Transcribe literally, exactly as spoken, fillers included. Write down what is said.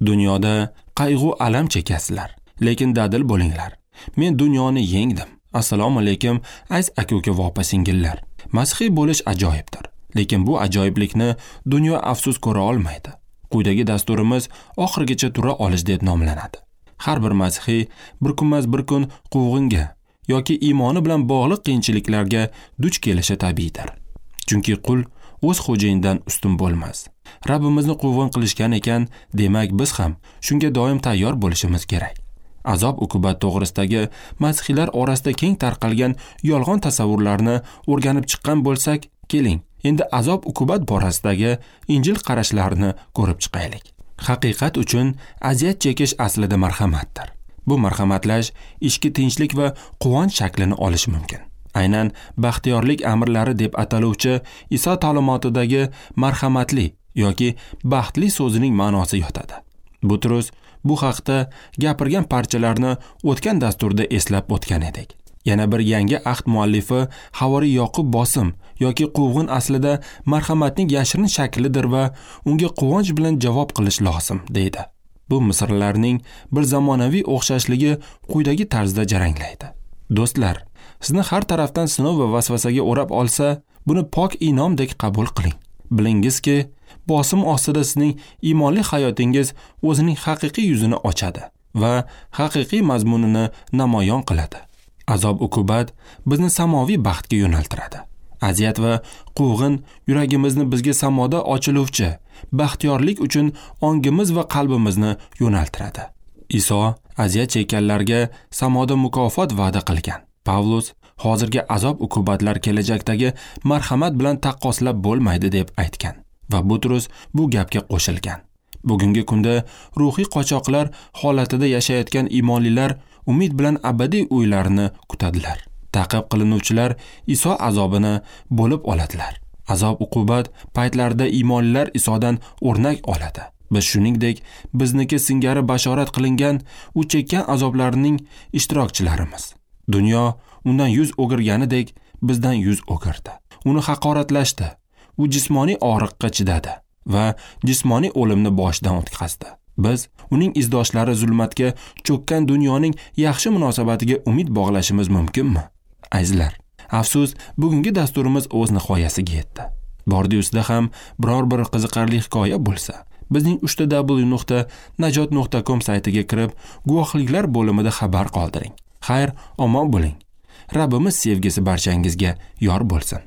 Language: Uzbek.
Dunyoda qayg'u alam chekasizlar, lekin dadil bo'linglar. Men dunyoni yengdim. Assalomu alaykum, aziz aka-uka va opa-singillar. Masihiy bo'lish ajoyibdir, lekin bu ajoyiblikni dunyo afsus ko'ra olmaydi. Quyidagi dasturimiz oxirigacha tura olish deb nomlanadi. Har bir masihiy bir kunmas bir kun quvg'inga yoki iymoni bilan bog'liq qiyinchiliklarga duch kelishi tabiiydir. Chunki qul o'z xo'jayinidan ustun bo'lmas. Rabbimizni quvg'in qilishgan ekan, demak biz ham shunga doim tayyor bo'lishimiz kerak. Azob uqubat to'g'risidagi masihiylar orasida keng tarqalgan yolg'on tasavvurlarni o'rganib chiqqan bo'lsak, keling, endi azob uqubat borasidagi Injil qarashlarini ko'rib chiqaylik. Haqiqat uchun aziyat chekish aslida marhamatdir. Bu marhamatlash ichki tinchlik va quvonch shaklini olishi mumkin. Aynan baxtiyorlik amrlari deb ataluvchi Iso ta'limotidagi marhamatli yoki baxtli so'zining ma'nosi yotadi. Butrus bu haqda gapirgan parchalarni o'tgan dasturda eslab o'tgan edik. Yana bir yangi ahd muallifi Havoriy Yoqub bosim yoki quvg'in aslida marhamatning yashirin shaklidir va unga quvonch bilan javob qilish lozim, deydi. Bu misrlarning bir zamonaviy o'xshashligi quyidagi tarzda jaranglaydi. Do'stlar, sizni har tarafdan sinov va vasvasaga o'rab olsa, buni pok inomdek qabul qiling. Bilingizki, bosim ostida sizning iymonli hayotingiz o'zining haqiqiy yuzini ochadi va haqiqiy mazmunini namoyon qiladi. Azob uqubat bizni samoviy baxtga yo'naltiradi. Aziyat va quvg'in yuragimizni bizga samoda ochiluvchi baxtiyorlik uchun ongimiz va qalbimizni yo'naltiradi. Iso aziyat chekkanlarga samoda mukofot va'da qilgan. Pavlus hozirgi azob uqubatlar kelajakdagi marhamat bilan taqqoslab bo'lmaydi deb aytgan va Butrus bu gapga qo'shilgan. Bugungi kunda ruhiy qochoqlar holatida yashayotgan iymonlilar umid bilan abadiy uylarini kutadilar. Ta'qib qilinuvchilar Iso azobini bo'lib oladilar. Azob uqubat paytlarida iymonlilar Isodan o'rnak oladi. Biz shuningdek bizniki singari bashorat qilingan u chekkan azoblarning ishtirokchilarimiz. Dunyo undan yuz o'girganidek bizdan yuz o'girdi. Uni haqoratlashdi. U jismoniy og'riqqa chidadi va jismoniy o'limni boshidan o'tkazdi. Biz uning izdoshlari zulmatga cho'kkan dunyoning yaxshi munosabatiga umid bog'lashimiz mumkinmi? Azizlar, afsus, bugungi dasturimiz o'z nihoyasiga yetdi. Bordi-ustida ham biror bir qiziqarli hikoya bo'lsa, bizning uch ta w nuqta najot nuqta com saytiga kirib, guvohliklar bo'limida xabar qoldiring. Xayr, omon bo'ling. Rabbimiz sevgisi barchangizga yor bo'lsin.